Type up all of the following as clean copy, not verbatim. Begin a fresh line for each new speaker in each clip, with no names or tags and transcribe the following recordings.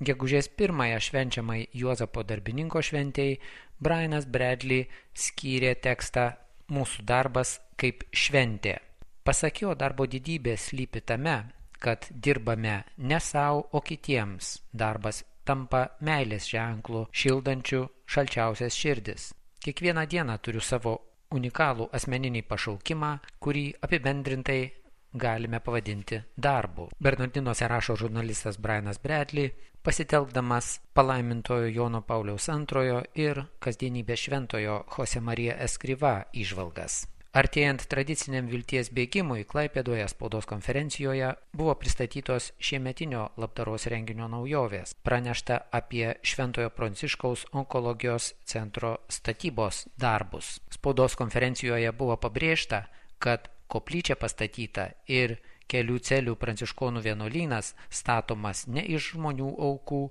Gegužės 1 švenčiamai Juozapo darbininko šventei Brianas Bradley skyrė tekstą Mūsų darbas kaip šventė. Pasak jo, darbo didybė slypi tame, kad dirbame ne savo, o kitiems. Darbas tampa meilės ženklu, šildančiu šalčiausias širdis. Kiekvieną dieną turiu savo unikalų asmeninį pašaukimą, kurį apibendrintai galime pavadinti darbu. Bernardinuose rašo žurnalistas Brianas Bradley, pasitelkdamas palaimintojo Jono Pauliaus II ir kasdienybės šventojo Jose Maria Escrivá įžvalgas. Artėjant tradiciniam vilties bėgimui, Klaipėdoje spaudos konferencijoje buvo pristatytos šiemetinio labdaros renginio naujovės. Pranešta apie Šventojo Pranciškaus onkologijos centro statybos darbus. Spaudos konferencijoje buvo pabrėžta, kad koplyčia pastatyta ir kelių celių pranciškonų vienuolynas statomas ne iš žmonių aukų,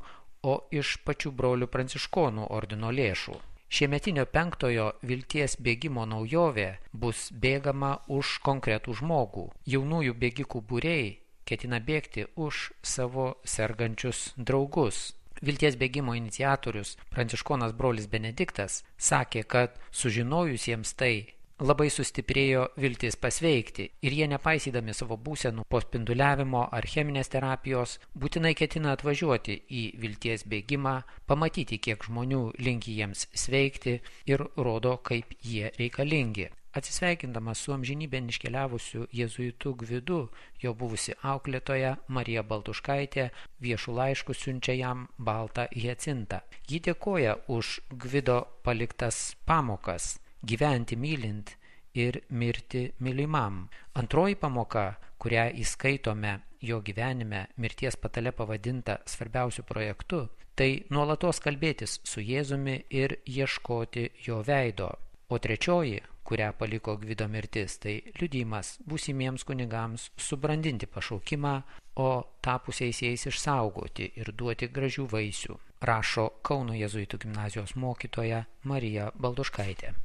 o iš pačių brolių pranciškonų ordino lėšų. Šiemetinio 5-ojo vilties bėgimo naujovė bus bėgama už konkretų žmogų. Jaunųjų bėgikų būriai ketina bėgti už savo sergančius draugus. Vilties bėgimo iniciatorius, pranciškonas brolis Benediktas, sakė, kad sužinojusiems tai labai sustiprėjo viltis pasveikti ir jie, nepaisydami savo būsenų po spinduliavimo ar cheminės terapijos, būtinai ketina atvažiuoti į vilties bėgimą, pamatyti, kiek žmonių linki jiems sveikti ir rodo, kaip jie reikalingi. Atsisveikindamas su amžinybėn iškeliavusiu jėzuitu Gvidu, jo buvusi auklėtoja Marija Baltuškaitė viešų laiškų siunčia jam baltą hiacintą. Ji dėkoja už Gvido paliktas pamokas gyventi mylint ir mirti mylimam. Antroji pamoka, kurią įskaitome jo gyvenime, mirties patale pavadinta svarbiausiu projektu, tai nuolatos kalbėtis su Jėzumi ir ieškoti jo veido. O trečioji, kurią paliko Gvido mirtis, tai liudijimas būsimiems kunigams subrandinti pašaukimą, o tapusiais jais išsaugoti ir duoti gražių vaisių, rašo Kauno jėzuitų gimnazijos mokytoja Marija Baltuškaitė.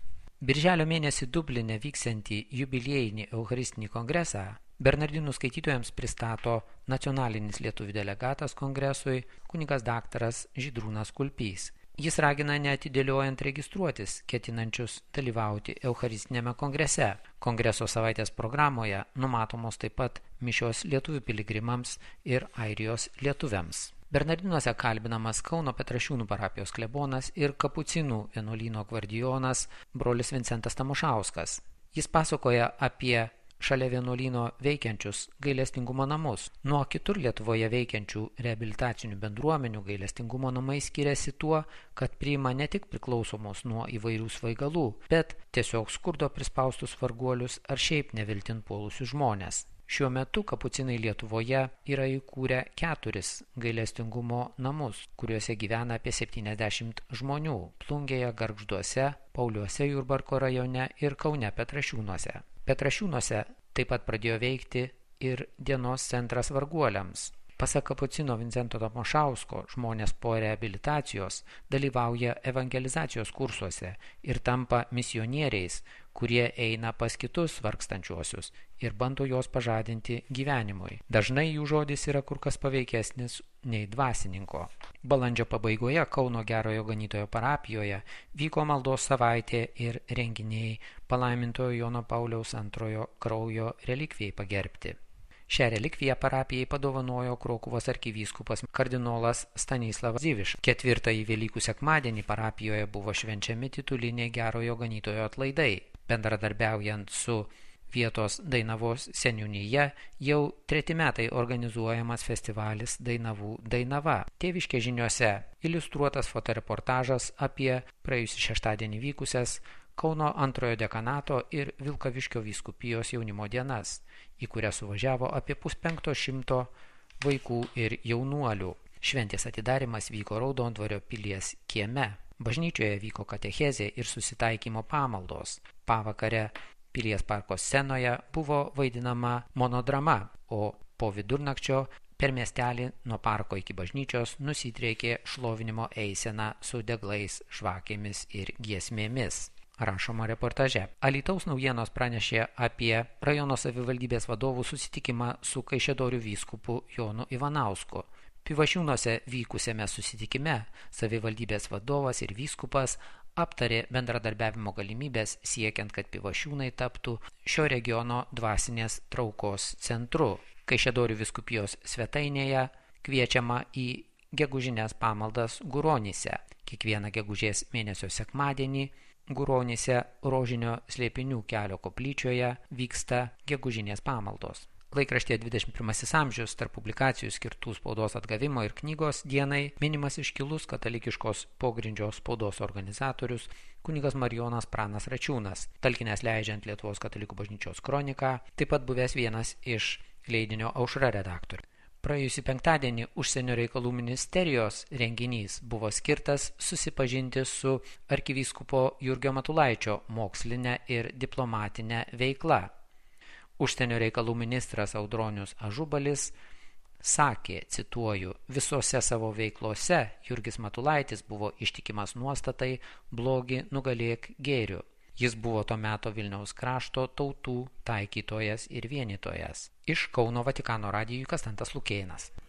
Birželio mėnesį Dubline vyksiantį jubiliejinį Eucharistinį kongresą Bernardinų skaitytojams pristato nacionalinis lietuvių delegatas kongresui kunigas daktaras Žydrūnas Kulpys. Jis ragina neatidėliojant registruotis ketinančius dalyvauti Eucharistinėme kongrese. Kongreso savaitės programoje numatomos taip pat mišios lietuvių piligrimams ir Airijos lietuviams. Bernardinuose kalbinamas Kauno Petrašiūnų parapijos klebonas ir Kapucinų vienuolyno gvardijonas brolis Vincentas Tamošauskas. Jis pasakoja apie šalia vienuolyno veikiančius gailestingumo namus. Nuo kitur Lietuvoje veikiančių reabilitacinių bendruomenių gailestingumo namai skiriasi tuo, kad priima ne tik priklausomus nuo įvairių svaigalų, bet tiesiog skurdo prispaustus varguolius ar šiaip neviltin puolusius žmonės. Šiuo metu kapucinai Lietuvoje yra įkūrę 4 gailestingumo namus, kuriuose gyvena apie 70 žmonių – Plungėje, Gargžduose, Pauliuose Jurbarko rajone ir Kaune Petrašiūnuose. Petrašiūnuose taip pat pradėjo veikti ir dienos centras varguoliams. Pasak kapucino Vincento Tamošausko, žmonės po reabilitacijos dalyvauja evangelizacijos kursuose ir tampa misionieriais, kurie eina pas kitus vargstančiuosius ir bando juos pažadinti gyvenimui. Dažnai jų žodis yra kur kas paveikesnis nei dvasininko. Balandžio pabaigoje Kauno Gerojo Ganytojo parapijoje vyko maldos savaitė ir renginiai palaimintojo Jono Pauliaus II kraujo relikvijai pagerbti. Šią relikviją parapijai padovanojo Krokuvos arkivyskupas kardinolas Stanislavas Dziviš. 4-ąjį Velykų sekmadienį parapijoje buvo švenčiami tituliniai Gerojo Ganytojo atlaidai. Bendradarbiaujant su vietos Dainavos seniūnija, jau 3 metai organizuojamas festivalis Dainavų Dainava. Tėviškės žiniose iliustruotas fotoreportažas apie praėjusį šeštadienį vykusias Kauno 2-ojo dekanato ir Vilkaviškio vyskupijos jaunimo dienas, į kurią suvažiavo apie 150 vaikų ir jaunuolių. Šventės atidarimas vyko Raudondvario pilies kieme. Bažnyčioje vyko katechezė ir susitaikymo pamaldos. Pavakare pilies parko scenoje buvo vaidinama monodrama, o po vidurnakčio per miestelį nuo parko iki bažnyčios nusidriekė šlovinimo eisena su deglais, žvakėmis ir giesmėmis. Rašoma reportaže. Alytaus naujienos pranešė apie rajono savivaldybės vadovų susitikimą su Kaišiadorių vyskupu Jonu Ivanausku. Pivašiūnuose vykusiame susitikime savivaldybės vadovas ir vyskupas aptarė bendradarbiavimo galimybės siekiant, kad Pivašiūnai taptų šio regiono dvasinės traukos centru. Kaišiadorių vyskupijos svetainėje kviečiama į gegužinės pamaldas Guronyse. Kiekvieną gegužės mėnesio sekmadienį Guronyse Rožinio slėpinių kelio koplyčioje vyksta gegužinės pamaldos. Laikraštyje 21 amžius tarp publikacijų skirtų spaudos atgavimo ir knygos dienai minimas iškilus katalikiškos pogrindžio spaudos organizatorius kunigas Marijonas Pranas Račiūnas, talkinęs leidžiant Lietuvos katalikų bažnyčios kroniką, taip pat buvęs vienas iš leidinio Aušra redaktorių. Praėjusį penktadienį Užsienio reikalų ministerijos renginys buvo skirtas susipažinti su arkivyskupo Jurgio Matulaičio moksline ir diplomatine veikla. Užsienio reikalų ministras Audronius Ažubalis sakė, cituoju, visose savo veiklose Jurgis Matulaitis buvo ištikimas nuostatai blogį nugalėk gėriu. Jis buvo to meto Vilniaus krašto tautų taikytojas ir vienytojas. Iš Kauno Vatikano radijui Konstantas Lukėnas.